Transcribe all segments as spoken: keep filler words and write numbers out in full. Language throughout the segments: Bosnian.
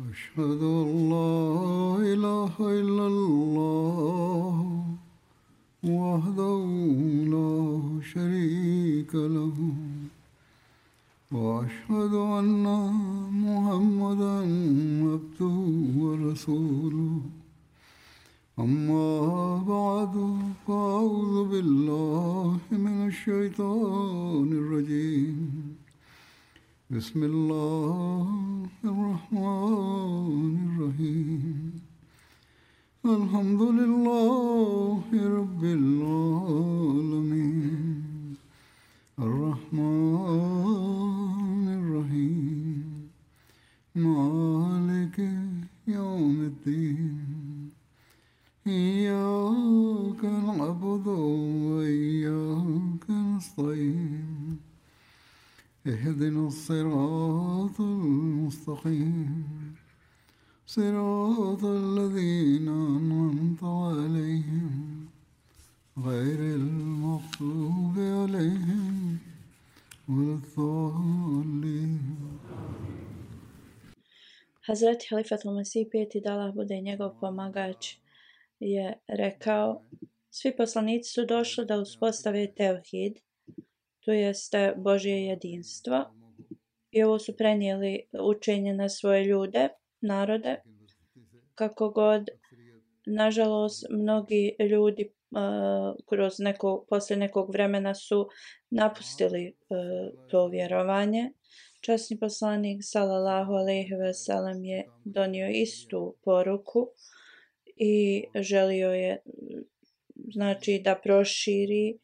أشهد أن لا إله إلا الله وحده لا شريك له وأشهد أن محمدا عبده ورسوله أما بعد فأعوذ بالله من الشيطان الرجيم بسم الله الرحمن الرحيم الحمد لله رب العالمين الرحمن الرحيم مالك يوم الدين إياك نعبد وإياك نستعين اهدنا الصراط المستقيم صراط الذين أنعمت عليهم غير المغضوب عليهم ولا الضالين. Hazreti Halifatul Mesih peti, da Allah bude njegov pomagač, je rekao: svi poslanici su došli da uspostave tevhid, to jeste Božje jedinstvo, i ovo su prenijeli učenje na svoje ljude, narode, kako god, nažalost, mnogi ljudi uh, kroz neko, poslije nekog vremena su napustili uh, to vjerovanje. Časni poslanik sallallahu alejhi ve sellem je donio istu poruku i želio je, znači, da proširi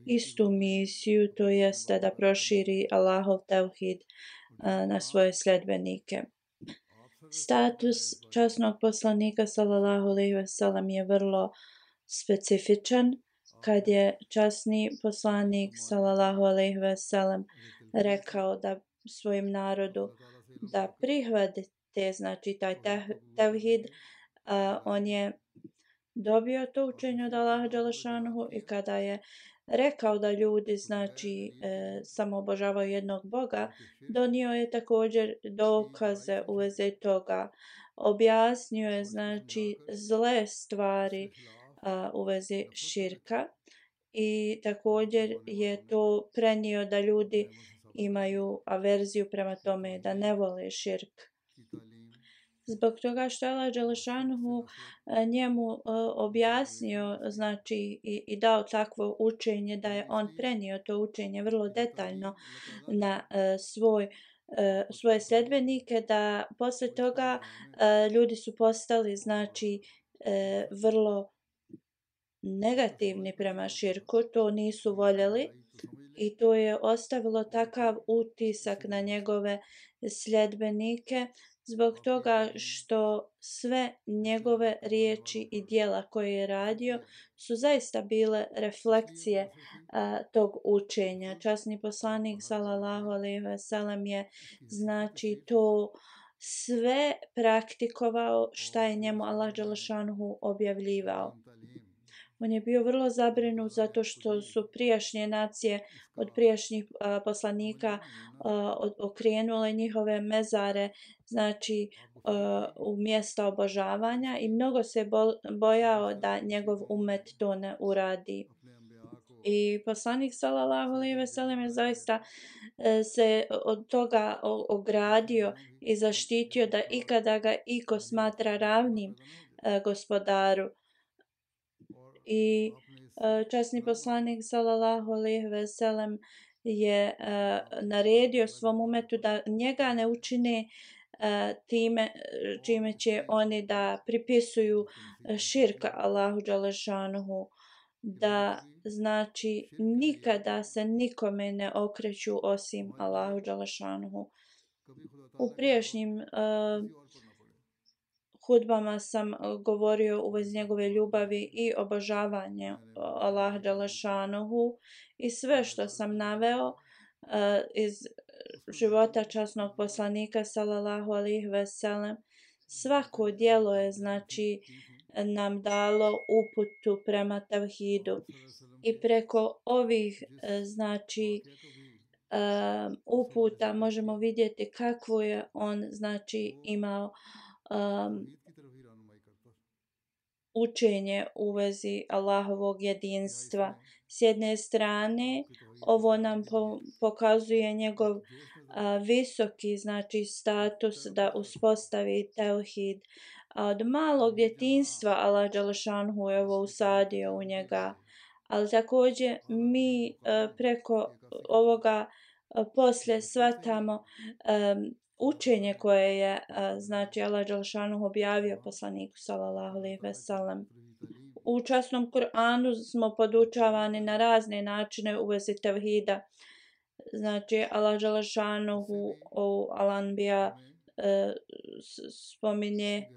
istu misiju, to jeste da proširi Allahov tevhid uh, na svoje sljedbenike. Status časnog poslanika sallallahu alejhi ve sellem je vrlo specifičan. Kad je časni poslanik sallallahu alejhi ve sellem rekao da svojim narodu da prihvatite, znači, taj tevhid, uh, on je dobio to učenje od Allaha dželešanuhu, i kada je rekao da ljudi, znači, e, samo obožavaju jednog Boga, donio je također dokaze u vezi toga. Objasnio je, znači, zle stvari a, u vezi širka, i također je to prenio da ljudi imaju averziju prema tome, da ne vole širk. Zbog toga što je Allah dželešanuhu njemu objasnio, znači, i, i dao takvo učenje, da je on prenio to učenje vrlo detaljno na uh, svoj, uh, svoje sljedbenike, da posle toga uh, ljudi su postali, znači, uh, vrlo negativni prema širku, to nisu voljeli, i to je ostavilo takav utisak na njegove sljedbenike, zbog toga što sve njegove riječi i djela koje je radio su zaista bile refleksije a, tog učenja. Časni poslanik sallallahu alejhi ve sellem je, znači, to sve praktikovao šta je njemu Allah dželešanuhu objavljivao. On je bio vrlo zabrinut zato što su prijašnje nacije od prijašnjih a, poslanika a, od, okrenule njihove mezare, znači, a, u mjesta obožavanja, i mnogo se bo, bojao da njegov umet to ne uradi. I poslanik sallallahu alejhi ve sellem je zaista e, se od toga ogradio i zaštitio da ikada ga iko smatra ravnim e, gospodaru. I uh, časni poslanik sallallahu alejhi ve sellem je uh, naredio svom umetu da njega ne učine uh, time čime će oni da pripisuju širka Allahu dželešanuhu, da, znači, nikada se nikome ne okreću osim Allahu dželešanuhu. U prijašnjim uh, hudbama sam govorio u vezi njegove ljubavi i obožavanje Allaha dželešanuhu, i sve što sam naveo uh, iz života časnog poslanika sallallahu alejhi ve sellem, svako djelo je, znači, nam dalo uputu prema tevhidu, i preko ovih, znači, um, uputa možemo vidjeti kakvu je on, znači, imao um, učenje u vezi Allahovog jedinstva. S jedne strane, ovo nam po, pokazuje njegov a, visoki, znači status da uspostavi tevhid. A od malog djetinjstva Allah dželešanhu je ovo usadio u njega. Ali također mi a, preko ovoga a, poslije shvatamo a, učenje koje je a, znači Allah dželešanhu objavio poslaniku sallallahu alejhi ve sellem. U časnom Kur'anu smo podučavani na razne načine u vezi tevhida. Znači Allah dželešanhu u Al-Anbiya e, spominje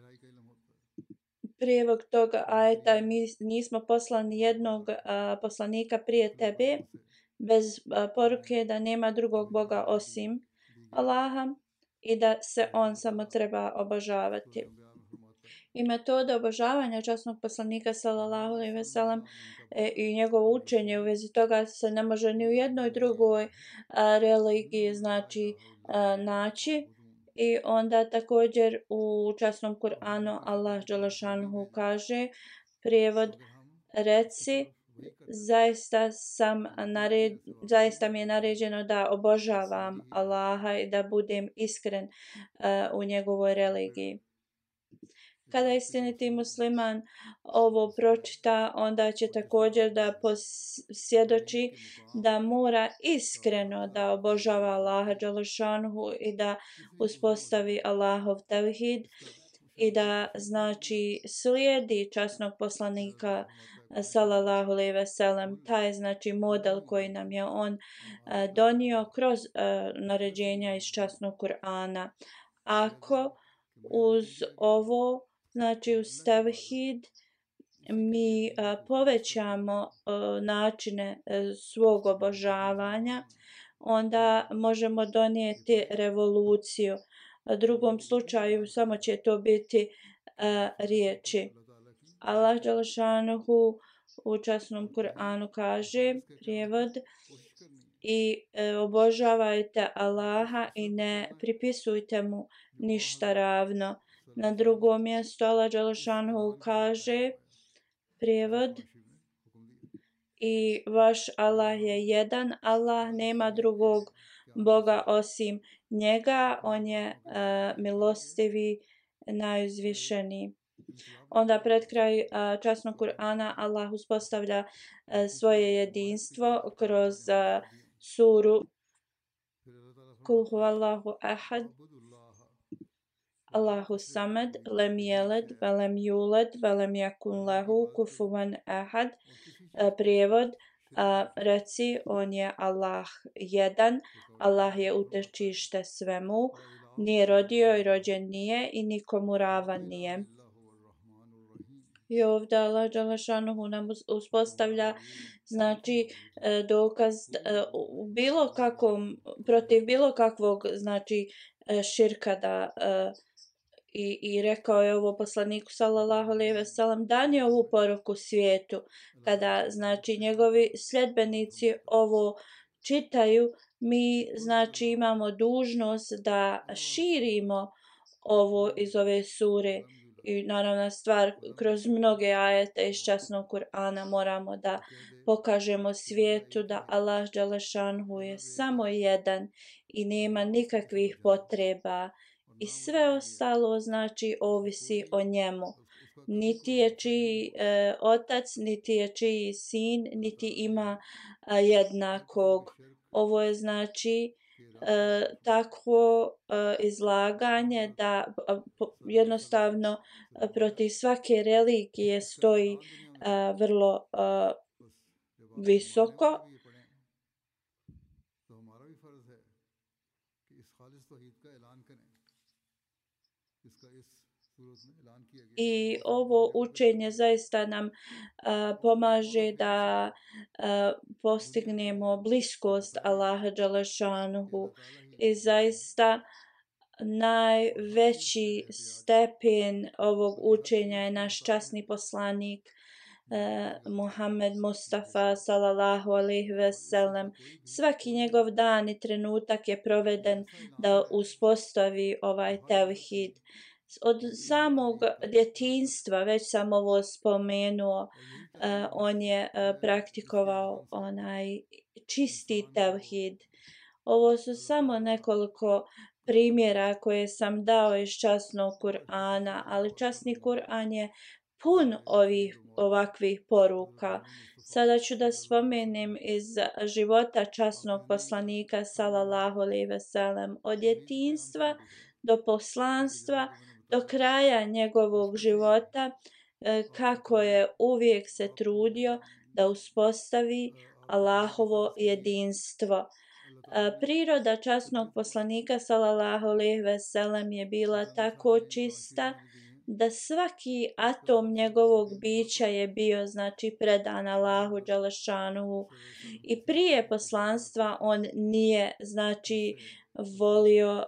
prijevod toga ajeta, mi nismo poslali jednog a, poslanika prije tebe bez a, poruke da nema drugog Boga osim Allaha i da se on samo treba obožavati. I metoda obožavanja časnog poslanika sallallahu alejhi ve sellem e, i njegovo učenje u vezi toga se ne može ni u jednoj drugoj a, religiji znači a, naći. I onda također u časnom Kur'anu Allah dželešanhu kaže prijevod reci zaista sam nared, zaista mi je naređeno da obožavam Allaha i da budem iskren uh, u njegovoj religiji. Kada istiniti musliman ovo pročita, onda će također da posvjedoči da mora iskreno da obožava Allaha dželešanhu i da uspostavi Allahov tevhid i da znači slijedi časnog poslanika sallallahu alejhi ve sellem. Taj znači model koji nam je on uh, donio kroz uh, naređenja iz časnog Kur'ana. Ako uz ovo znači uz tevhid mi a, povećamo a, načine a, svog obožavanja, onda možemo donijeti revoluciju. U drugom slučaju samo će to biti a, riječi. Allah dželešanuhu u časnom Kur'anu kaže prijevod i e, obožavajte Allaha i ne pripisujte mu ništa ravno. Na drugom mjestu Allah dželešanuhu kaže prijevod i vaš Allah je jedan, Allah nema drugog Boga osim njega, on je uh, milostivi, najuzvišeniji. Onda pred kraj uh, časnog Kur'ana Allah uspostavlja uh, svoje jedinstvo kroz uh, suru Kul huvallahu ahad Allahu samad, lem jeled, velem juled, velem jakun lahu, kufuvan ahad. Prijevod, a, reci, on je Allah jedan, Allah je utečište svemu, nije rodio i rođen nije i nikomu ravan nije. I ovdje Allah dželešanuhu nam uspostavlja znači dokaz u bilo kakvom, protiv bilo kakvog znači širka da I, i rekao je ovo poslaniku sallallahu alejhi ve sellem dani ovu poruku svijetu. Kada znači njegovi sljedbenici ovo čitaju, mi znači imamo dužnost da širimo ovo iz ove sure. I naravna stvar, kroz mnoge ajete iz časnog Kur'ana moramo da pokažemo svijetu da Allah dželešanhu je samo jedan i nema nikakvih potreba. I sve ostalo znači ovisi o njemu. Niti je čiji e, otac, niti je čiji sin, niti ima a, jednakog. Ovo je znači e, takvo e, izlaganje da a, po, jednostavno a, protiv svake religije stoji a, vrlo a, visoko. I ovo učenje zaista nam a, pomaže da a, postignemo bliskost Allaha dželešanuhu i zaista najveći stepen ovog učenja je naš časni poslanik Uh, Muhammed Mustafa sallallahu alejhi ve sellem. Svaki njegov dan i trenutak je proveden da uspostavi ovaj tevhid. Od samog djetinjstva, već sam ovo spomenuo, on je praktikovao onaj čisti tevhid. Ovo su samo nekoliko primjera koje sam dao iz časnog Kur'ana, ali časni Kur'an je pun ovih ovakvih poruka. Sada ću da spomenem iz života časnog poslanika sallallahu alejhi ve sellem, od djetinjstva do poslanstva, do kraja njegovog života, kako je uvijek se trudio da uspostavi Allahovo jedinstvo. Priroda časnog poslanika sallallahu alejhi ve sellem je bila tako čista da svaki atom njegovog bića je bio znači predan Allahu dželešanuhu, i prije poslanstva on nije znači volio uh,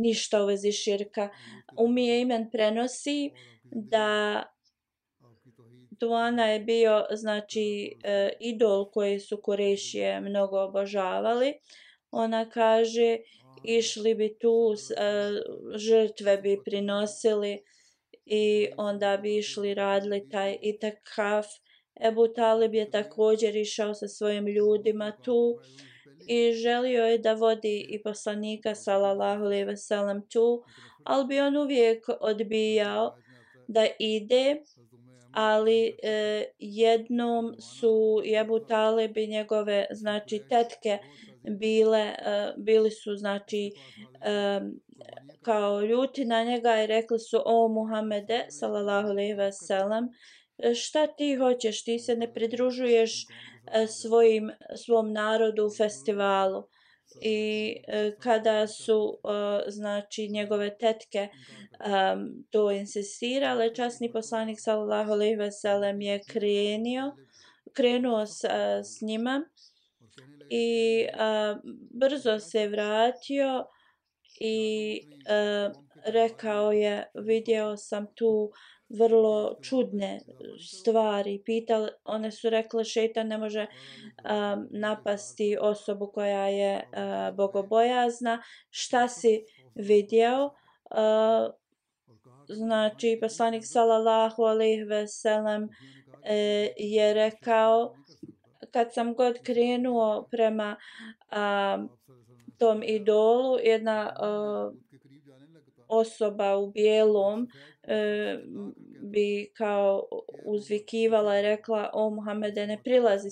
ništa u vezi širka. Umi Ejmen prenosi da Duana je bio znači uh, idol koji su Kurešije mnogo obožavali. Ona kaže, išli bi tu, uh, žrtve bi prinosili i onda bi išli radili taj itikaf. Ebu Talib je također išao sa svojim ljudima tu i želio je da vodi i poslanika sallallahu alejhi ve sellem tu, ali bi on uvijek odbijao da ide, ali e, jednom su Ebu Talib i njegove znači tetke bile, e, bili su znači e, kao ljuti na njega i rekli su: o Muhammede sallallahu alejhi ve sellem, šta ti hoćeš, ti se ne pridružuješ svojim, svom narodu u festivalu. I kada su znači njegove tetke um, to insistirale, časni poslanik sallallahu alejhi ve sellem je krenio, krenuo s, s njima i uh, brzo se vratio i uh, rekao je: vidio sam tu vrlo čudne stvari. Pitali, one su rekle: šejtan ne može um, napasti osobu koja je uh, bogobojazna. Šta si vidio? Uh, znači poslanik sallallahu alejhi ve sellem uh, je rekao: kad sam god krenuo prema um, tom idolu, jedna uh, osoba u bijelom e, bi kao uzvikivala i rekla: o Muhammede, ne prilazi,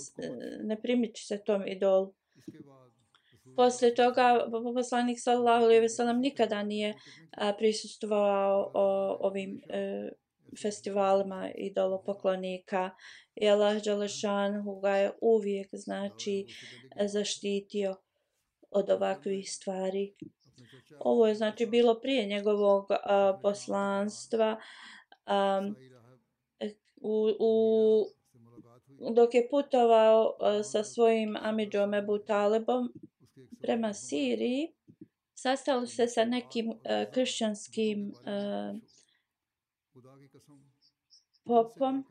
ne primiči se tom idolu. Poslije toga poslanik sallallahu alejhi ve sellem nikada nije a, prisustvovao o, ovim e, festivalima idolopoklonika i Allah dželešanhu ga je uvijek znači zaštitio od ovakvih stvari. Ovo je znači bilo prije njegovog uh, poslanstva, um, u, u, dok je putovao uh, sa svojim amidžom Ebu Talibom prema Siriji. Sastali se sa nekim uh, kršćanskim uh, popom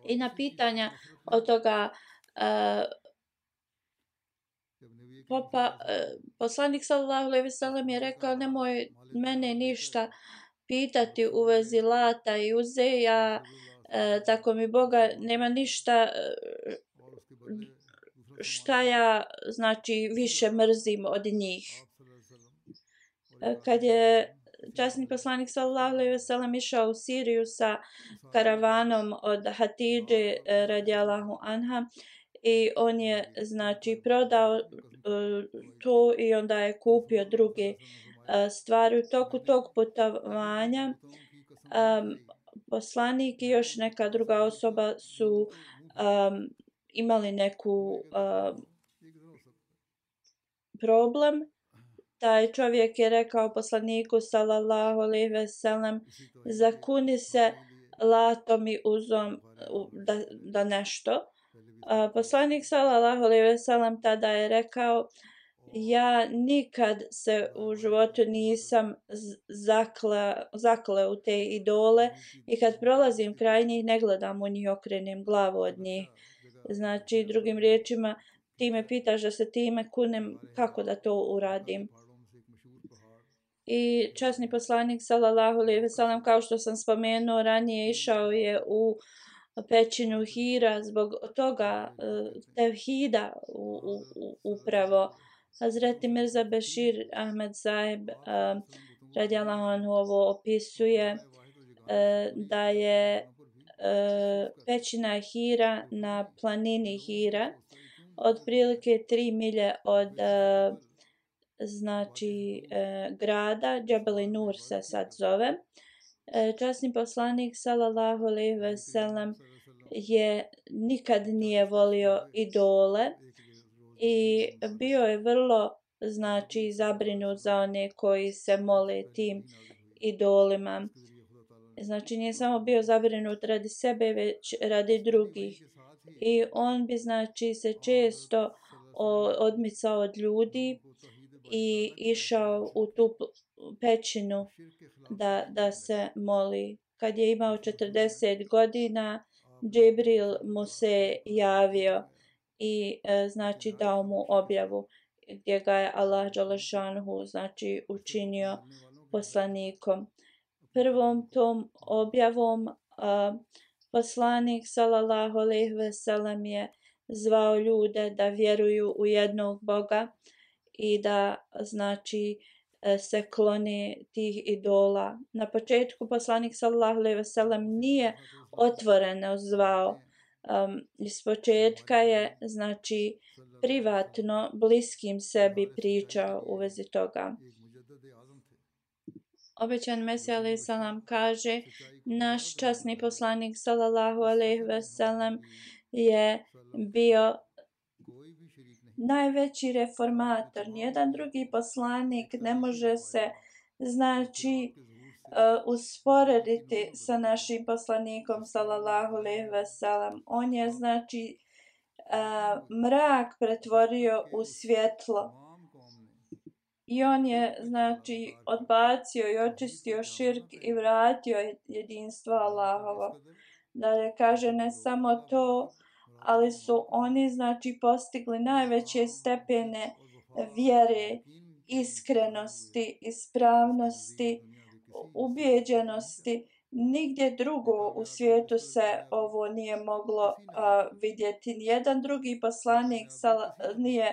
i na pitanja od toga uh, popa, poslanik sallallahu alejhi ve sellem je rekao: nemoj mene ništa pitati u vezi Lata i Uze, ja e, tako mi Boga nema ništa šta ja znači više mrzim od njih. E, kad je časni poslanik sallallahu alejhi ve sellem išao u Siriju sa karavanom od Hatidže radijallahu anha, i on je znači prodao uh, to i onda je kupio druge uh, stvari. U toku tog putovanja um, poslanik i još neka druga osoba su um, imali neku uh, problem. Taj čovjek je rekao poslaniku sallallahu alejhi ve sellem: zakuni se Latom i Uzom da, da nešto. Uh, poslanik sallallahu alejhi ve sellem tada je rekao: ja nikad se u životu nisam zakle, zakle u te idole i kad prolazim kraj njih ne gledam u njih, okrenem glavu od njih. Znači, drugim riječima, ti me pitaš da se time kunem, kako da to uradim? I časni poslanik sallallahu alejhi ve sellem, kao što sam spomenuo ranije, išao je u pećinu Hira zbog toga tevhida u, u, u, upravo. Hazreti Mirza Bešir Ahmed Sahib uh, radijallahu anhu ovo opisuje uh, da je uh, pećina Hira na planini Hira otprilike tri milje od uh, znači uh, grada Džebeli Nur se sad zove. Uh, časni poslanik sallallahu alejhi ve sellem je nikad nije volio idole i bio je vrlo znači zabrinut za one koji se mole tim idolima. Znači nije samo bio zabrinut radi sebe, već radi drugih. I on bi znači se često odmicao od ljudi i išao u tu pećinu da, da se moli. Kad je imao četrdeset godina, Džibril mu se javio i e, znači dao mu objavu gdje ga je Allah dželešanuhu znači učinio poslanikom. Prvom tom objavom a, poslanik sallallahu alejhi ve sellem je zvao ljude da vjeruju u jednog Boga i da znači se klone tih idola. Na početku poslanik sallallahu alejhi ve sellem nije otvoreno zvao. Um, iz početka je znači privatno bliskim sebi pričao u vezi toga. Obećan Mesija alejhi selam kaže: naš časni poslanik sallallahu alejhi ve sellem je bio najveći reformator. Nijedan drugi poslanik ne može se znači uh, usporediti sa našim poslanikom sallallahu alejhi ve sellem. On je znači uh, mrak pretvorio u svjetlo. I on je znači odbacio i očistio širk i vratio jedinstvo Allahovo. Dalje kaže, ne samo to, ali su oni znači postigli najveće stepene vjere, iskrenosti, ispravnosti, ubijeđenosti. Nigdje drugo u svijetu se ovo nije moglo uh, vidjeti. Nijedan drugi poslanik sal- nije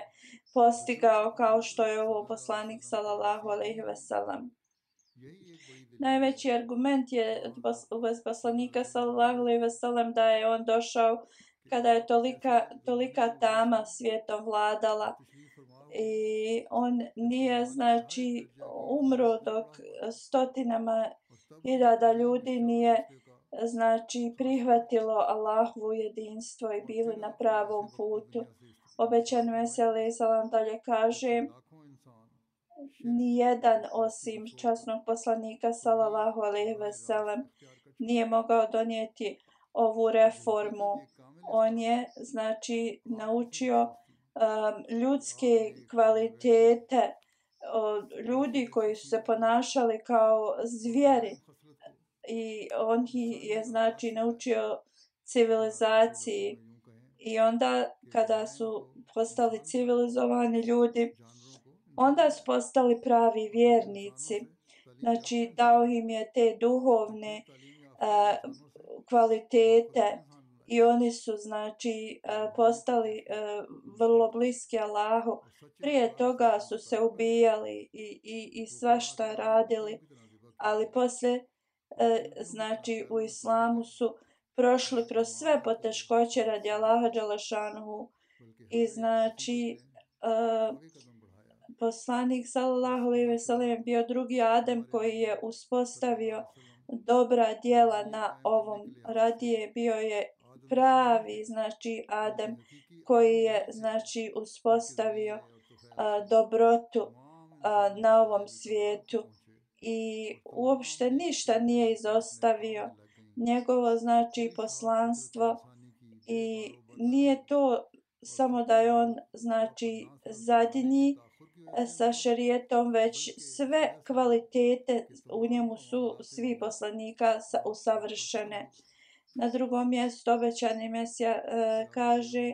postigao kao što je ovo poslanik sallallahu alejhi ve sellem. Najveći argument je u vezi poslanika sallallahu alejhi ve sellem da je on došao kada je tolika, tolika tama svijetom vladala i on nije znači umro dok stotinama hiljada ljudi nije znači prihvatilo Allahovo jedinstvo i bili na pravom putu. Obećan Mesija alejhi selam dalje kaže: nijedan osim časnog poslanika sallallahu alejhi ve sellem nije mogao donijeti ovu reformu. On je znači naučio um, ljudske kvalitete od ljudi koji su se ponašali kao zvijeri i on je znači naučio civilizaciji. I onda kada su postali civilizovani ljudi, onda su postali pravi vjernici. Znači dao im je te duhovne uh, kvalitete i oni su znači uh, postali uh, vrlo bliski Allahu. Prije toga su se ubijali i, i, i svašta radili, ali poslije uh, znači u islamu su prošli kroz sve poteškoće radi Allaha dželešanuhu i znači uh, poslanik sallallahu alejhi ve sellem bio drugi Adem koji je uspostavio dobra djela na ovom. Radije bio je pravi znači Adem koji je znači uspostavio uh, dobrotu uh, na ovom svijetu i uopšte ništa nije izostavio. Njegovo znači poslanstvo i nije to samo da je on znači zadnji sa šerijetom, već sve kvalitete u njemu su svi poslanika usavršene. Na drugom mjestu obećani Mesija e, kaže: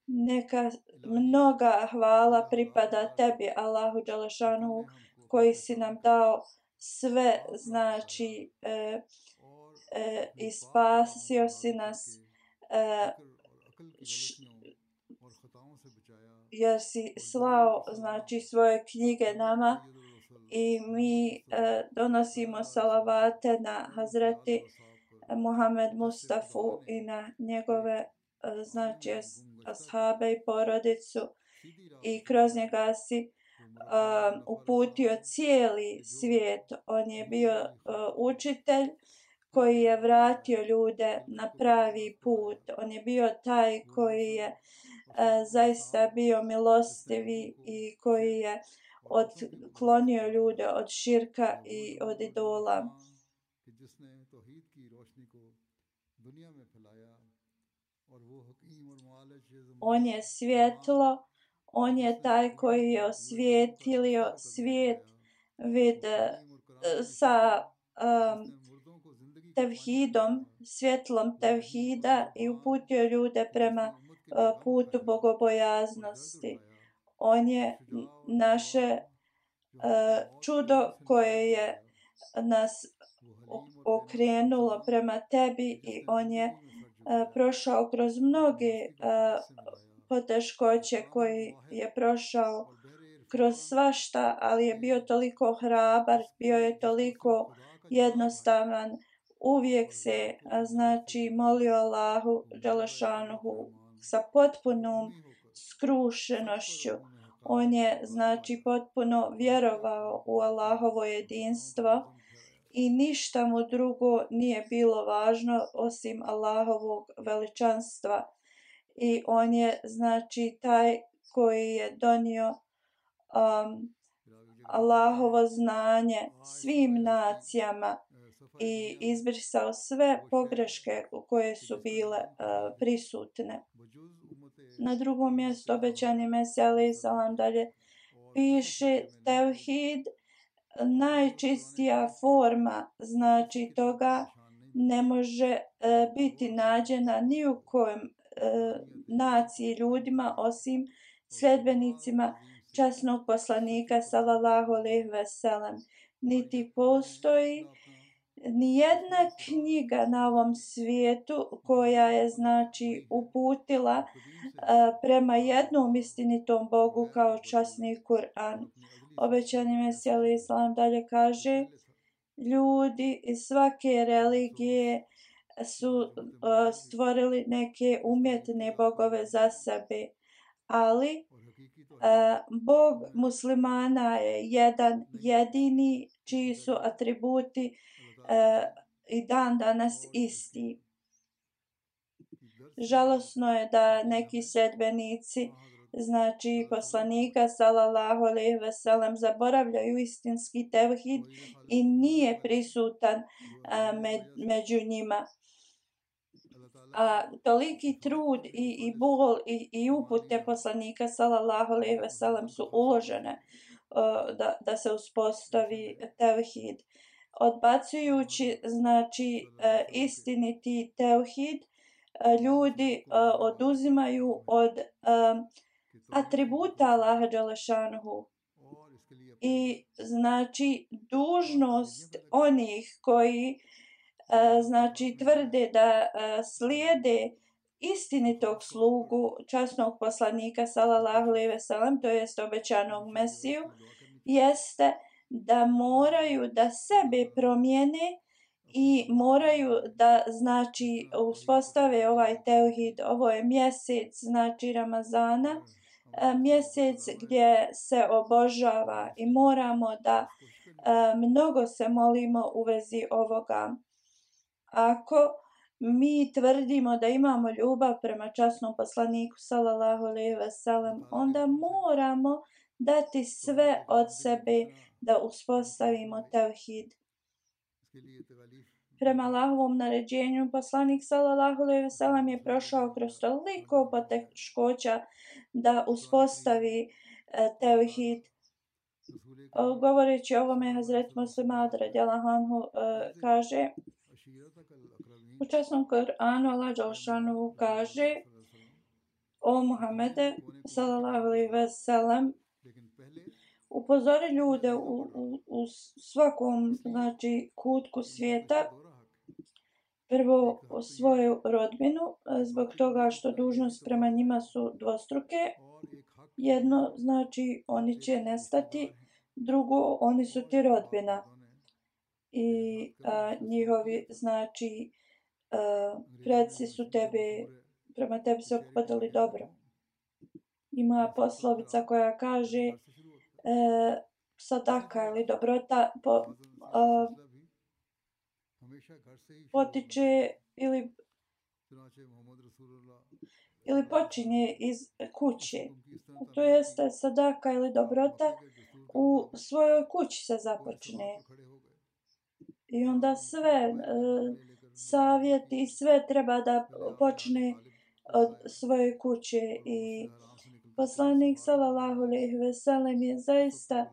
neka mnoga hvala pripada tebi, Allahu dželešanuhu, koji si nam dao sve, znači e, e, i spasio si nas e, š, jer si slao znači svoje knjige nama i mi e, donosimo salavate na Hazreti Muhammed Mustafu i na njegove e, znači ashabe i porodicu i kroz njega si um, uputio cijeli svijet. On je bio uh, učitelj koji je vratio ljude na pravi put. On je bio taj koji je uh, zaista bio milostivi i koji je odklonio ljude od širka i od idola. On je svjetlo, on je taj koji je osvijetlio svijet vid sa um, tevhidom, svjetlom tevhida i uputio ljude prema uh, putu bogobojaznosti. On je naše uh, čudo koje je nas okrenulo prema tebi i on je uh, prošao kroz mnoge uh, poteškoće koji je prošao kroz svašta, ali je bio toliko hrabar, bio je toliko jednostavan, uvijek se znači molio Allahu dželešanuhu sa potpunom skrušenošću. On je znači potpuno vjerovao u Allahovo jedinstvo i ništa mu drugo nije bilo važno osim Allahovog veličanstva. I on je znači taj koji je donio um, Allahovo znanje svim nacijama i izbrisao sve pogreške koje su bile uh, prisutne. Na drugom mjestu obećani Mesija alejhi selam dalje piše tevhid, najčistija forma znači toga ne može uh, biti nađena ni u kojem naciji ljudima osim sljedbenicima časnog poslanika sallallahu alejhi ve sellem. Niti postoji ni jedna knjiga na ovom svijetu koja je znači uputila uh, prema jednom istinitom Bogu kao časni Kur'an. Obećani Mesija alejhi selam dalje kaže: ljudi iz svake religije su uh, stvorili neke umjetne bogove za sebe, ali uh, Bog muslimana je jedan jedini čiji su atributi uh, i dan danas isti. Žalosno je da neki sljedbenici znači poslanika sallallahu alejhi ve sellem zaboravljaju istinski tevhid i nije prisutan uh, med, među njima. A toliki trud i, i bol i, i upute poslanika sallallahu alejhi ve sellem su uložene uh, da, da se uspostavi tevhid. Odbacujući znači uh, istiniti tevhid, uh, ljudi uh, oduzimaju od uh, atributa Allaha dželešanuhu i znači dužnost onih koji Uh, znači tvrde da uh, slijede istinitog slugu časnog poslanika sallallahu alejhi ve sellem, to jest obećanog Mesiju, jeste da moraju da sebe promijene i moraju da znači uspostave ovaj tevhid. Ovo je mjesec znači Ramazana, uh, mjesec gdje se obožava i moramo da uh, mnogo se molimo u vezi ovoga. Ako mi tvrdimo da imamo ljubav prema časnom poslaniku sallallahu alejhi ve sellem, onda moramo dati sve od sebe da uspostavimo tevhid. Prema Allahovom naređenju poslanik sallallahu alejhi ve sellem je prošao kroz toliko poteškoća da uspostavi e, tevhid. O, govoreći o ovome, Hazret Muslim Maud radijallahu anhu e, kaže: u časnom Kur'anu Allah dželešanu kaže: o Muhammede sallallahu alejhi ve sellem, upozori ljude u, u, u svakom, znači, kutku svijeta, prvo svoju rodbinu, zbog toga što dužnost prema njima su dvostruke. Jedno, znači, oni će nestati, drugo, oni su ti rodbina. I a, njihovi, znači, a, predci su tebe, prema tebi se ophodili dobro. Ima poslovica koja kaže e, sadaka ili dobrota po, a, potiče ili ili počinje iz kuće. To jeste sadaka ili dobrota u svojoj kući se započne. I onda sve e, savjeti i sve treba da počne od svoje kuće. I poslanik sallallahu alejhi ve sellem je zaista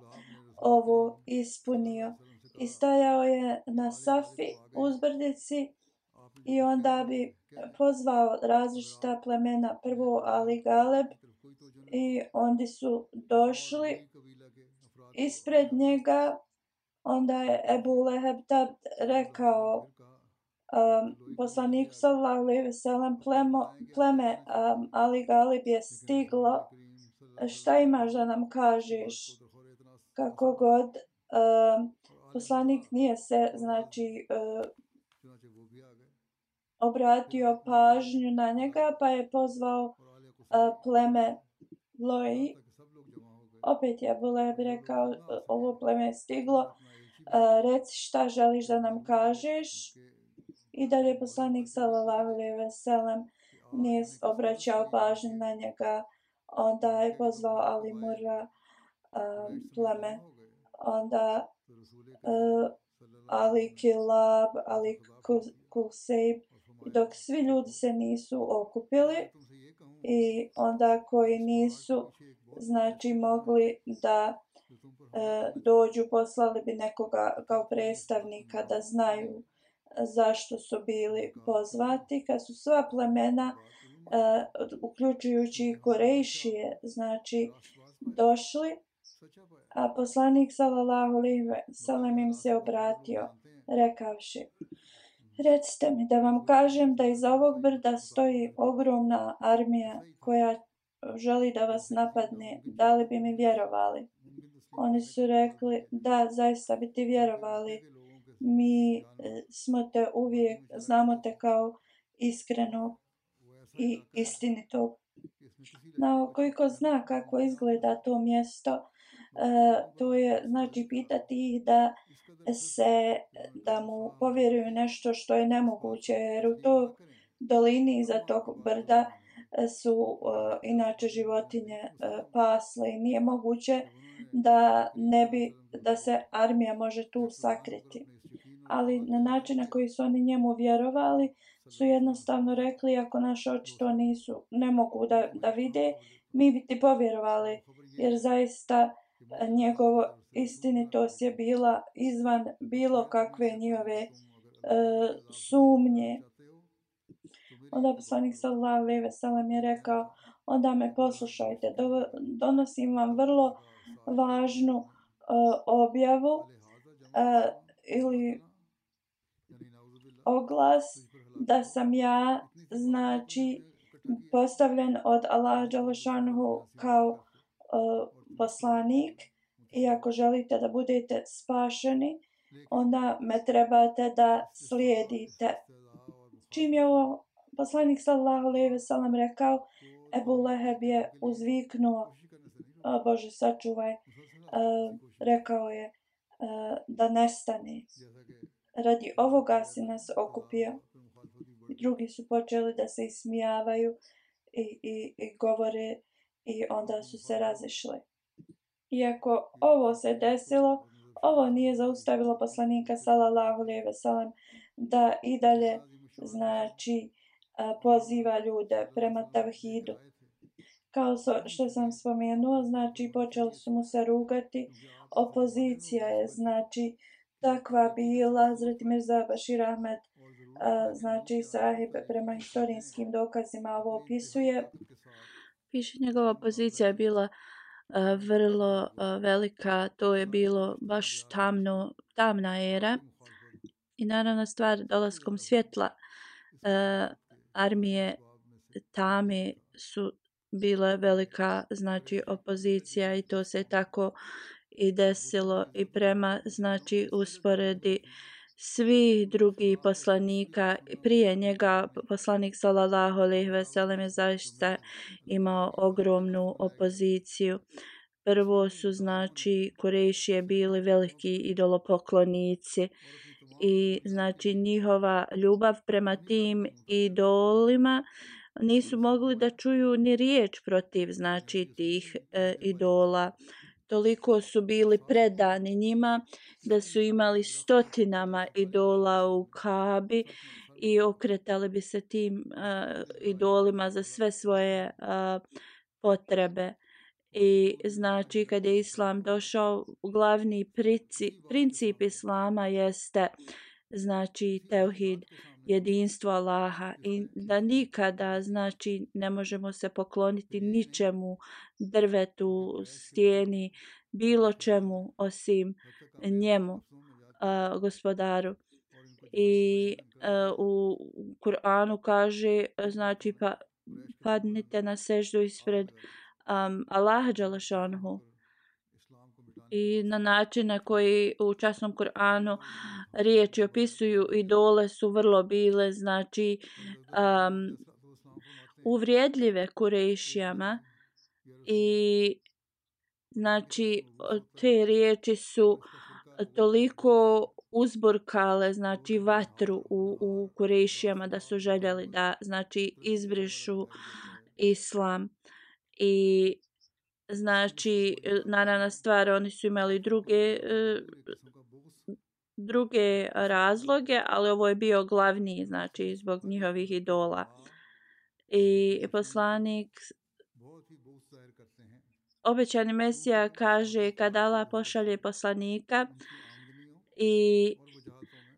ovo ispunio. I stajao je na Safi uzbrdici i onda bi pozvao različita plemena, prvo Ali Galeb, i oni su došli ispred njega. Onda je Ebu Leheb tad rekao um, poslaniku sallallahu alejhi ve sellem, pleme um, Ali Galeb je stiglo, šta imaš da nam kažeš? Kako god, um, poslanik nije se, znači, uh, obratio pažnju na njega, pa je pozvao uh, pleme Loji. Opet je Ebu Leheb rekao, ovo pleme je stiglo, uh, reci šta želiš da nam kažeš. I dalje poslanik sallallahu alejhi ve sellem nije obraćao pažnju na njega. Onda je pozvao Ali Murra um, pleme. Onda uh, Ali Kilab, Ali Kusejb, dok svi ljudi se nisu okupili i onda koji nisu, znači, mogli da e, dođu, poslali bi nekoga kao predstavnika da znaju zašto su bili pozvati. Kad su sva plemena, e, uključujući i Kurejšije, znači, došli, a poslanik sallallahu alejhi ve sellem im se obratio, rekavši, recite mi da vam kažem da iza ovog brda stoji ogromna armija koja želi da vas napadne, da li bi mi vjerovali? Oni su rekli, da, zaista bi ti vjerovali. Mi smo te uvijek, znamo te kao iskrenog i istinitog. No, koliko zna kako izgleda to mjesto, Uh, to je, znači, pitati ih da se, da mu povjeruju nešto što je nemoguće, jer u toj dolini iza tog brda su uh, inače životinje uh, pasle i nije moguće da ne bi, da se armija može tu sakriti. Ali na način na koji su oni njemu vjerovali, su jednostavno rekli, ako naše oči to nisu, ne mogu da, da vide, mi bi ti povjerovali, jer zaista njegovo istinitost je bila izvan bilo kakve njihove e, sumnje. Onda poslanik sallallahu alejhi ve sellem je rekao, onda me poslušajte, do, donosim vam vrlo važnu e, objavu e, ili oglas da sam ja, znači, postavljen od Allaha dželle šanuhu kao uh, poslanik, i ako želite da budete spašeni, onda me trebate da slijedite. Čim je ovo poslanik sallallahu alejhi ve sellem rekao, Ebu Leheb je uzviknuo, o Bože sačuvaj, uh, rekao je uh, da nestane. Radi ovoga si nas okupio. I drugi su počeli da se ismijavaju i, i, i govore, i onda su se razišli. Iako ovo se desilo, ovo nije zaustavilo poslanika sallallahu alejhi ve sellem da i dalje, znači, poziva ljude prema tavhidu. Kao što sam spomenuo, znači, počeli su mu se rugati. Opozicija je, znači, takva bila. Hazreti Mirza Bashir Ahmed, znači, sahib, prema historijskim dokazima ovo opisuje. Piše, njegova pozicija je bila vrlo velika, to je bilo baš tamno, tamna era i naravno stvar dolaskom svjetla armije tame su bila velika znači opozicija i to se tako i desilo i prema znači usporedi svi drugi poslanika prije njega poslanik sallallahu alejhi ve sellem je zaista imao ogromnu opoziciju. Prvo su znači Kurejšije bili veliki idolopoklonici i znači njihova ljubav prema tim idolima nisu mogli da čuju ni riječ protiv znači tih e, idola. Toliko su bili predani njima da su imali stotinama idola u Kabi i okretali bi se tim uh, idolima za sve svoje uh, potrebe. I znači kad je islam došao, glavni princip, princip islama jeste znači teuhid, jedinstvo Allaha i da nikada znači ne možemo se pokloniti ničemu, drvetu, stijeni, bilo čemu osim njemu, uh, gospodaru. I uh, u Kur'anu kaže znači pa padnite na seždu ispred um, Allaha dželešanhu i na način na koji u časnom Kur'anu riječi opisuju idole su vrlo bile znači um, uvrijedljive Kurejšijama i znači te riječi su toliko uzburkale znači vatru u, u Kurejšijama da su željeli da znači izbrišu islam i znači naravna stvar oni su imali druge druge razloge, ali ovo je bio glavni znači zbog njihovih idola. I poslanik obećani Mesija kaže kad Allah pošalje poslanika i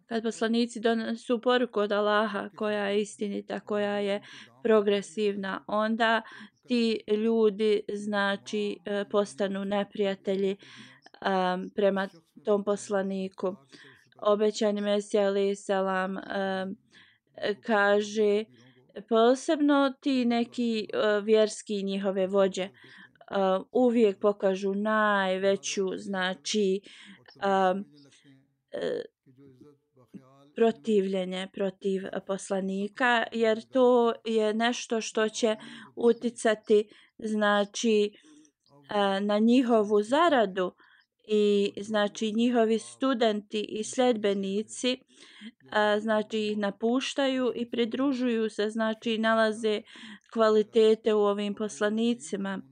kad poslanici donesu poruku od Allaha koja je istinita, koja je progresivna, onda ti ljudi znači postanu neprijatelji um, prema tom poslaniku. Obećani Mesija alejhi selam um, kaže posebno ti neki uh, vjerski njihove vođe uh, uvijek pokažu najveću znači um, uh, protivljenje protiv poslanika jer to je nešto što će uticati znači na njihovu zaradu i znači njihovi studenti i sljedbenici znači ih napuštaju i pridružuju se znači nalaze kvalitete u ovim poslanicima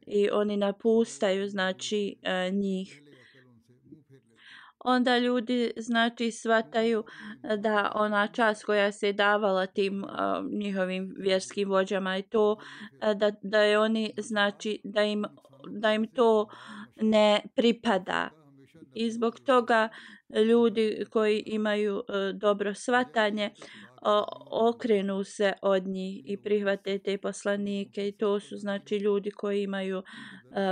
i oni napustaju znači njih. Onda ljudi znači shvataju da ona čast koja se davala tim uh, njihovim vjerskim vođama i to uh, da, da je oni znači da im, da im to ne pripada. I zbog toga ljudi koji imaju uh, dobro shvatanje uh, okrenu se od njih i prihvate te poslanike i to su znači ljudi koji imaju uh,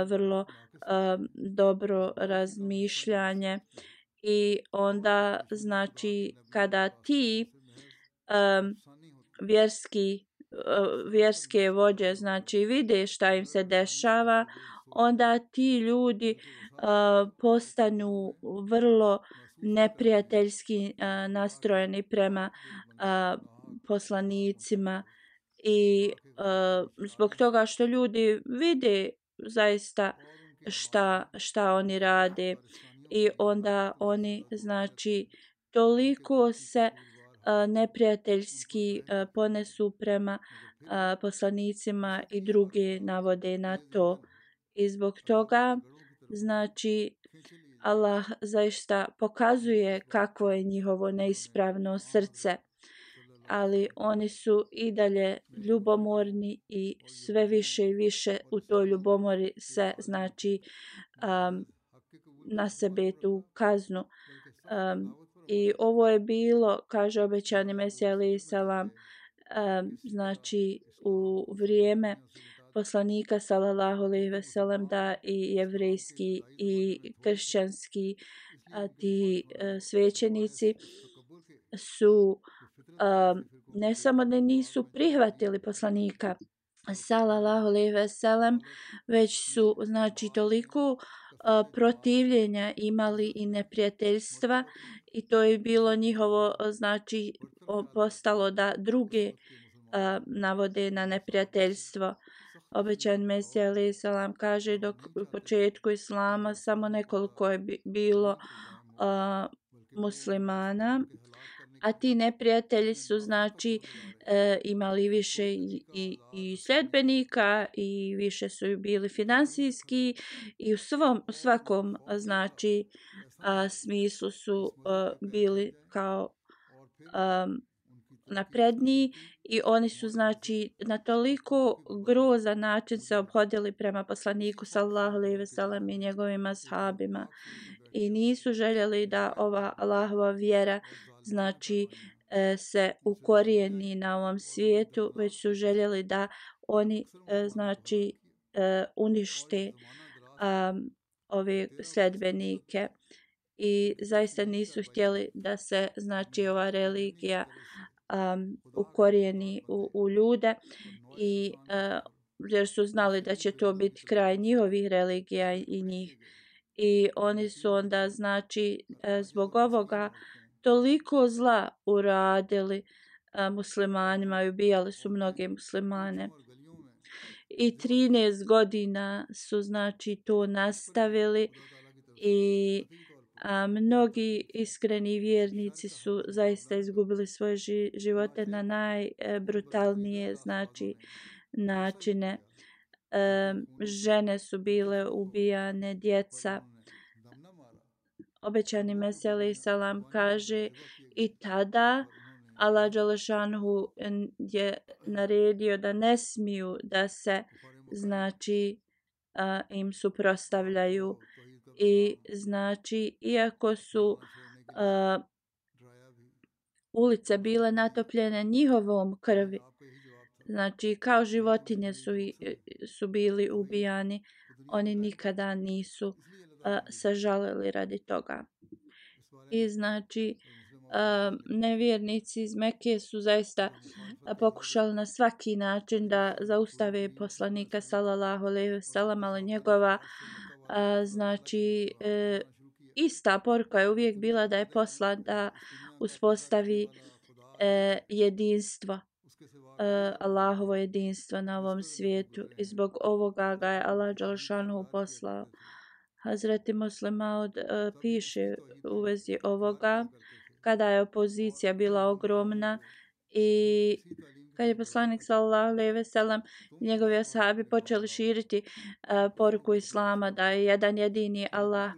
vrlo uh, dobro razmišljanje. I onda znači kada ti um, vjerski uh, vjerske vođe znači vide šta im se dešava, onda ti ljudi uh, postanu vrlo neprijateljski uh, nastrojeni prema uh, poslanicima i uh, zbog toga što ljudi vide zaista šta šta oni rade. I onda oni znači toliko se uh, neprijateljski uh, ponesu prema uh, poslanicima i druge navode na to. I zbog toga znači Allah zaista pokazuje kakvo je njihovo neispravno srce. Ali oni su i dalje ljubomorni i sve više i više u toj ljubomori se znači um, na sebe tu kaznu. Um, I ovo je bilo, kaže obećani Mesija alejhi selam, um, znači u vrijeme poslanika sallallahu alejhi ve sellem da i jevrejski i kršćanski a ti a, svećenici su a, ne samo da nisu prihvatili poslanika sallallahu alejhi ve sellem, već su znači toliko a, protivljenja imali i neprijateljstva i to je bilo njihovo znači postalo da druge a, navode na neprijateljstvo. Obećan Mesija alejhi selam kaže dok u početku islama samo nekoliko je bilo a, muslimana, a ti neprijatelji su znači e, imali više i, i, i sljedbenika i više su bili finansijski i u svom u svakom znači a, smislu su a, bili kao a, napredniji i oni su znači na toliko grozan način se obhodili prema poslaniku sallallahu alejhi ve sellem i njegovim ashabima i nisu željeli da ova Allahova vjera znači e, se ukorijeni na ovom svijetu, već su željeli da oni e, znači e, unište um, ove sljedbenike i zaista nisu htjeli da se znači ova religija um, ukorijeni u, u ljude i uh, jer su znali da će to biti kraj njihovih religija i njih i oni su onda znači zbog ovoga toliko zla uradili uh, muslimanima i ubijali su mnoge muslimane i trinaest godina su znači to nastavili i a, mnogi iskreni vjernici su zaista izgubili svoje ži, živote na najbrutalnije znači načine. E, žene su bile ubijane, djeca. Obećani Mesija alejhi selam kaže i tada Allah dželešanhu je naredio da ne smiju da se znači a, im suprotstavljaju i znači iako su a, ulice bile natopljene njihovom krvi, znači kao životinje su, su bili ubijani, oni nikada nisu a, sažalili radi toga. I znači a, nevjernici iz Mekke su zaista a, pokušali na svaki način da zaustave poslanika sallallahu alejhi ve sellem, ali njegova a, znači e, ista poruka je uvijek bila da je poslan da uspostavi e, jedinstvo, e, Allahovo jedinstvo na ovom svijetu i zbog ovoga ga je Allah dželešanu poslao. Hazreti Muslim Maud e, piše u vezi ovoga kada je opozicija bila ogromna i kad je poslanik sallallahu alejhi ve sellem i njegovi ashabi počeli širiti uh, poruku islama da je jedan jedini Allah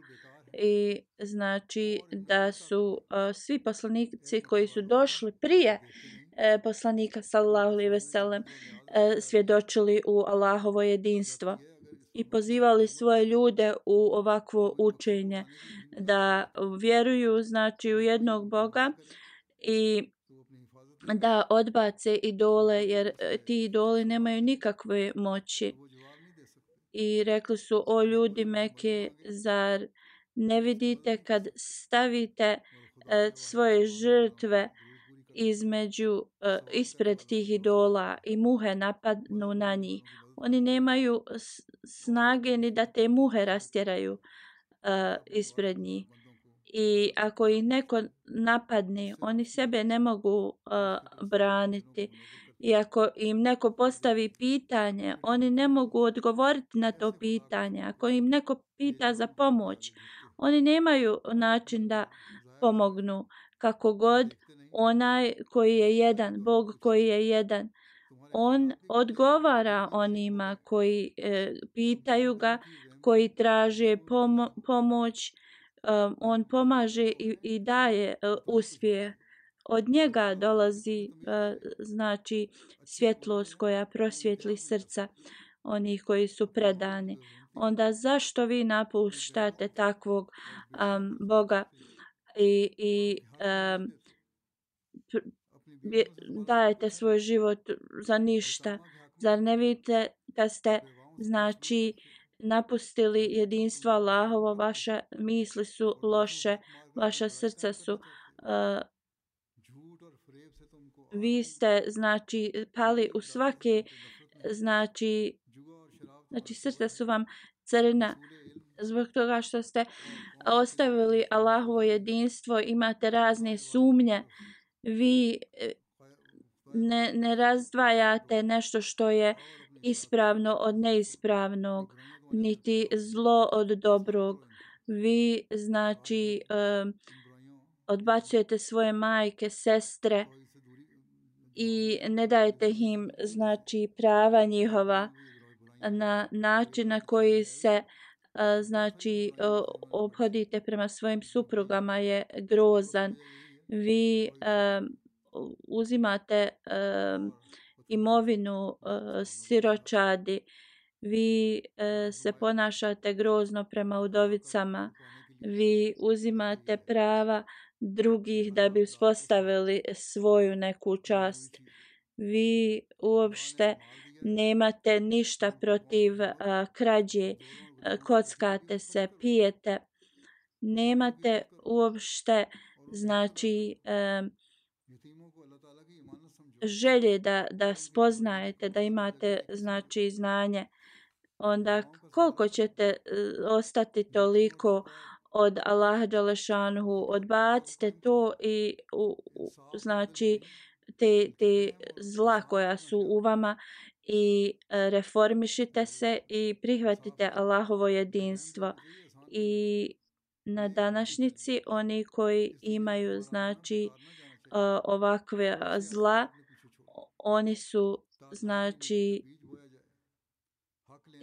i znači da su uh, svi poslanici koji su došli prije uh, poslanika sallallahu alejhi ve sellem uh, svjedočili u Allahovo jedinstvo i pozivali svoje ljude u ovakvo učenje da vjeruju znači u jednog Boga i da odbace idole jer ti idoli nemaju nikakve moći. I rekli su o ljudi Mekke, zar ne vidite kad stavite uh, svoje žrtve između uh, ispred tih idola i muhe napadnu na njih. Oni nemaju snage ni da te muhe rastjeraju uh, ispred njih. I ako ih neko napadne, oni sebe ne mogu uh, braniti. I ako im neko postavi pitanje, oni ne mogu odgovoriti na to pitanje. Ako im neko pita za pomoć, oni nemaju način da pomognu. Kako god, onaj koji je jedan, Bog koji je jedan, on odgovara onima koji e, pitaju ga, koji traže pomo- pomoć, Um, on pomaže i, i daje uh, uspjeh. Od njega dolazi uh, znači svjetlost koja prosvjetli srca onih koji su predani. Onda zašto vi napuštate takvog um, Boga i, i um, dajete svoj život za ništa? Zar ne vidite kad ste znači napustili jedinstvo Allahovo, vaše misli su loše, vaša srca su uh, vi ste znači pali u svake znači znači srca su vam crna zbog toga što ste ostavili Allahovo jedinstvo, imate razne sumnje, vi ne, ne razdvajate nešto što je ispravno od neispravnog, niti zlo od dobrog. Vi znači um, odbacujete svoje majke, sestre i ne dajete im znači prava njihova na način na koji se uh, znači uh, obhodite prema svojim suprugama je grozan. Vi um, uzimate um, imovinu uh, siročadi, vi uh, se ponašate grozno prema udovicama, vi uzimate prava drugih da bi uspostavili svoju neku čast. Vi uopšte nemate ništa protiv uh, krađe, uh, kockate se, pijete, nemate uopšte znači um, želje da, da spoznajete, da imate znači znanje, onda koliko ćete ostati toliko od Allaha dželešanuhu, odbacite to i u, u, znači te, te zla koja su u vama i reformišite se i prihvatite Allahovo jedinstvo. I na današnjici oni koji imaju znači ovakve zla, oni su znači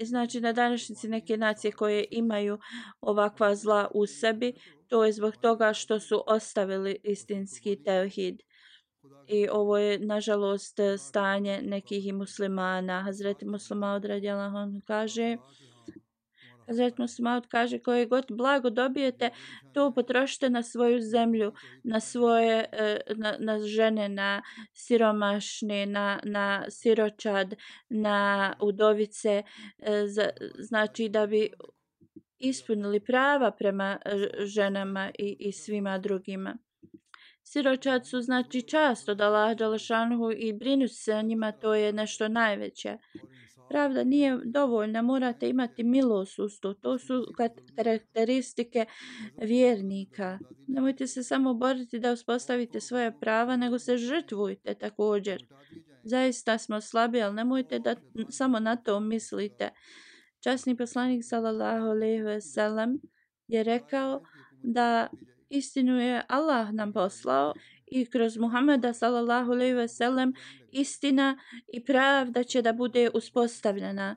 znači na današnjici neke nacije koje imaju ovakva zla u sebi, to je zbog toga što su ostavili istinski tevhid. I ovo je nažalost stanje nekih muslimana. Hazreti Muslimaud radijallahu anhu kaže Hazreti Muslimaud kaže koje god blago dobijete, to potrošite na svoju zemlju, na svoje na, na žene, na siromašne, na, na siročad, na udovice, znači da bi ispunili prava prema ženama i, i svima drugima. Siročad su znači čast od Allaha dželešanuhu i brinuti se o njima, to je nešto najveće. Pravda nije dovoljna, morate imati milost usto. To su karakteristike vjernika. Nemojte se samo boriti da uspostavite svoje prava, nego se žrtvujte također. Zaista smo slabi, ali nemojte da samo na to mislite. Časni poslanik sallallahu alejhi ve sellem je rekao da istinu je Allah nam poslao i kroz Muhameda sallallahu alejhi ve sellem istina i pravda će da bude uspostavljena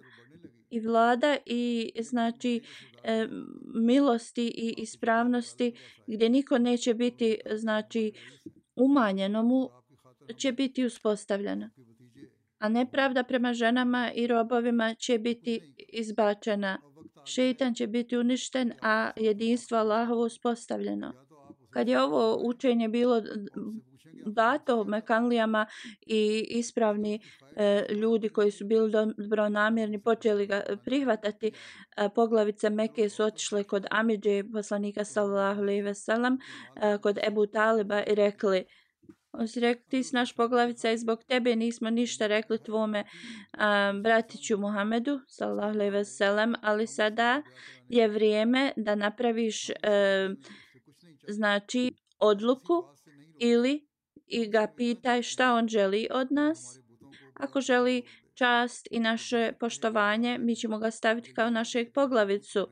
i vlada i znači e, milosti i ispravnosti gdje niko neće biti znači umanjeno mu će biti uspostavljena, a nepravda prema ženama i robovima će biti izbačena. Šejtan će biti uništen, a jedinstvo Allahovo uspostavljeno. Kad je ovo učenje bilo dato Mekanlijama i ispravni e, ljudi koji su bili dobronamjerni počeli ga prihvatati, e, poglavice Mekke su otišle kod Amidže poslanika sallallahu alejhi ve sellem, e, kod Ebu Taliba i rekli, on si rekli, ti si naš poglavica i zbog tebe nismo ništa rekli tvome um, bratiću Muhammedu sallallahu alejhi ve sellem, ali sada je vrijeme da napraviš um, znači odluku ili i ga pitaj šta on želi od nas. Ako želi čast i naše poštovanje, mi ćemo ga staviti kao našeg poglavicu.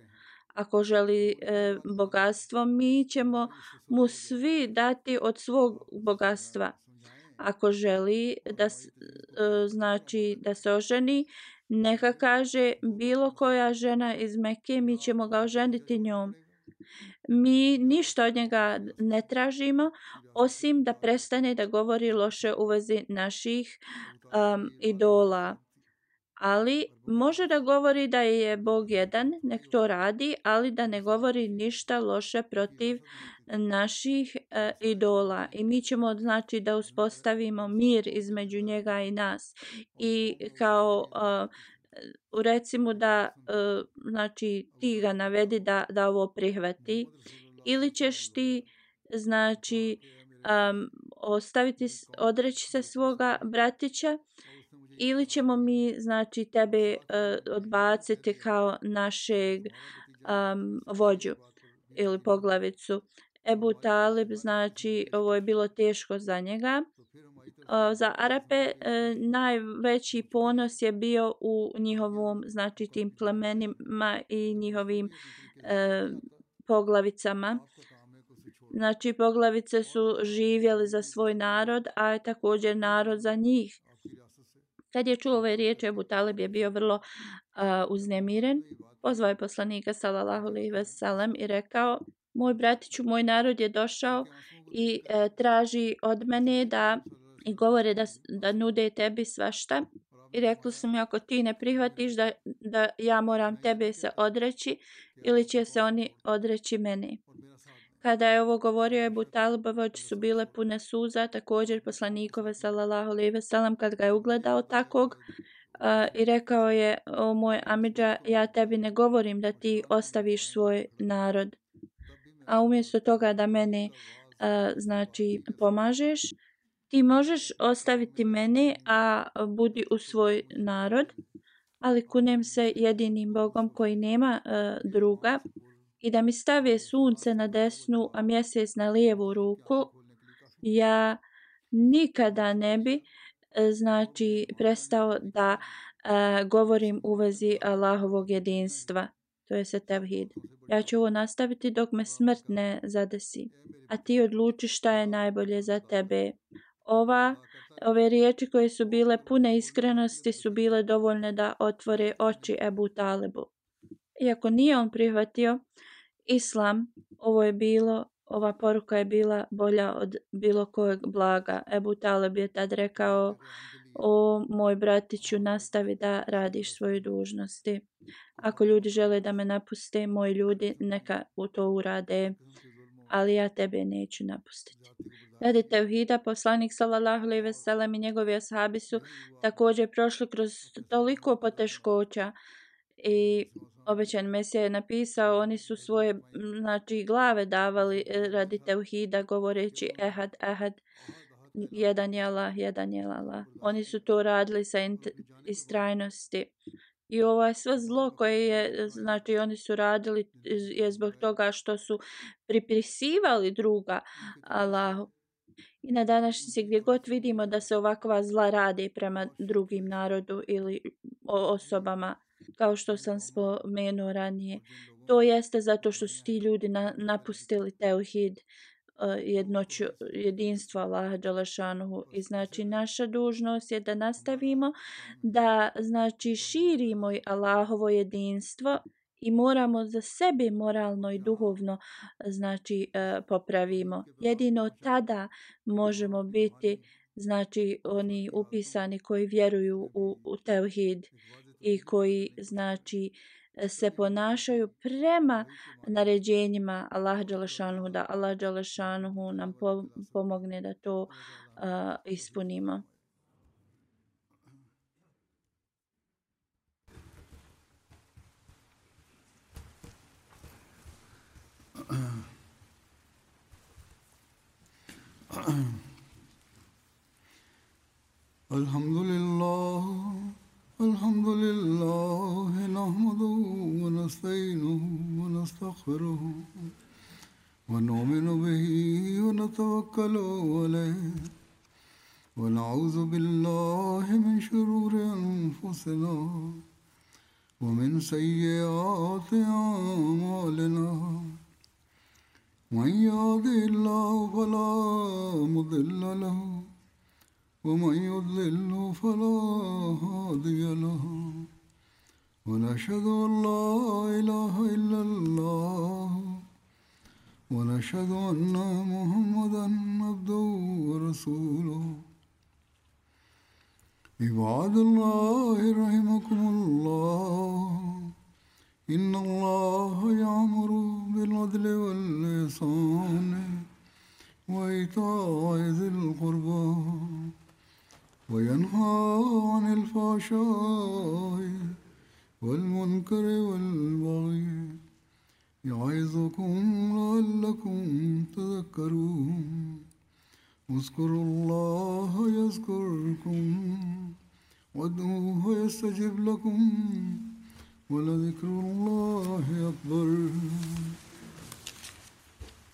Ako želi e, bogatstvo, mi ćemo mu svi dati od svog bogatstva. Ako želi da, e, znači, da se oženi, neka kaže bilo koja žena iz Mekke, mi ćemo ga oženiti njom. Mi ništa od njega ne tražimo, osim da prestane da govori loše u vezi naših um, idola. Ali može da govori da je Bog jedan, nek to radi, ali da ne govori ništa loše protiv naših uh, idola. I mi ćemo znači da uspostavimo mir između njega i nas. I kao uh, recimo da uh, znači ti ga navedi da, da ovo prihvati ili ćeš ti znači um, ostaviti, odreći se svoga bratića ili ćemo mi znači tebe uh, odbaciti kao našeg um, vođu ili poglavicu. Ebu Talib, znači ovo je bilo teško za njega. Uh, za Arape uh, najveći ponos je bio u njihovom, znači tim plemenima i njihovim uh, poglavicama. Znači poglavice su živjeli za svoj narod, a također narod za njih. Kad je čuo ove riječi, Ebu Talib je bio vrlo uh, uznemiren. Pozvao je poslanika sallallahu alejhi ve sellem i rekao: moj bratiću, moj narod je došao i e, traži od mene da i govore da, da nude tebi svašta. I rekli su mi, ako ti ne prihvatiš da, da ja moram tebe se odreći ili će se oni odreći mene. Kada je ovo govorio, Ebu Talibove oči su bile pune suza, također poslanikove sallallahu alejhi ve sellem kad ga je ugledao takvog uh, i rekao je: o moj amidža, ja tebi ne govorim da ti ostaviš svoj narod, a umjesto toga da mene uh, znači pomažeš, ti možeš ostaviti mene, a budi u svoj narod, ali kunem se jedinim Bogom koji nema uh, druga, i da mi stave sunce na desnu, a mjesec na lijevu ruku, ja nikada ne bi znači prestao da uh, govorim u vezi Allahovog jedinstva. To je se tevhid. Ja ću ovo nastaviti dok me smrt ne zadesi, a ti odluči šta je najbolje za tebe. Ova, ove riječi koje su bile pune iskrenosti su bile dovoljne da otvore oči Ebu Talibu. Iako nije on prihvatio islam, ovo je bilo, ova poruka je bila bolja od bilo kojeg blaga. Ebu Talib je tad rekao: o moj bratiću, nastavi da radiš svoje dužnosti. Ako ljudi žele da me napuste, moji ljudi neka u to urade, ali ja tebe neću napustiti. Radi tevhida, poslanik sallallahu alejhi ve sellem i njegovi ashabi su također prošli kroz toliko poteškoća i obećan Mesija je napisao, oni su svoje znači glave davali radi tevhida govoreći ehad, ehad, jedan je Allah, jedan je Allah. Oni su to radili sa istrajnosti. I ovo je sve zlo koje je, znači oni su radili je zbog toga što su pripisivali druga Allahu. I na današnjici gdje god vidimo da se ovakva zla radi prema drugim narodu ili osobama, kao što sam spomenuo ranije, to jeste zato što su ti ljudi na, napustili tevhid, jednoću, jedinstvo Allaha dželešanuhu. I znači naša dužnost je da nastavimo da znači širimo Allahovo jedinstvo i moramo za sebe moralno i duhovno znači popravimo. Jedino tada možemo biti znači oni upisani koji vjeruju u, u tevhid i koji znači se ponašaju prema naređenjima Allaha dželešanuhu, da Allah dželešanuhu nam po, pomogne da to uh, ispunimo. Alhamdulillah, alhamdulillah, nahmaduhu wa nasta'inuhu wa nastaghfiruhu wa nu'minu bihi wa natawakkalu alayhi wa na'udhu billahi min shururi anfusina wa min sayyiati a'malina. Man yahdihillahu fala mudilla lahu ومن يضلل فلا هادي له ونشهد أن لا إله إلا الله ونشهد أن محمدا عبده ورسوله. عباد الله رحمكم الله إن الله يأمر بالعدل والإحسان وإيتاء ذي القربى وينهى عن الفحشاء والمنكر والبغي يعظكم لعلكم تذكرون اذكروا الله يذكركم وادعوه يستجب لكم ولذكر الله أكبر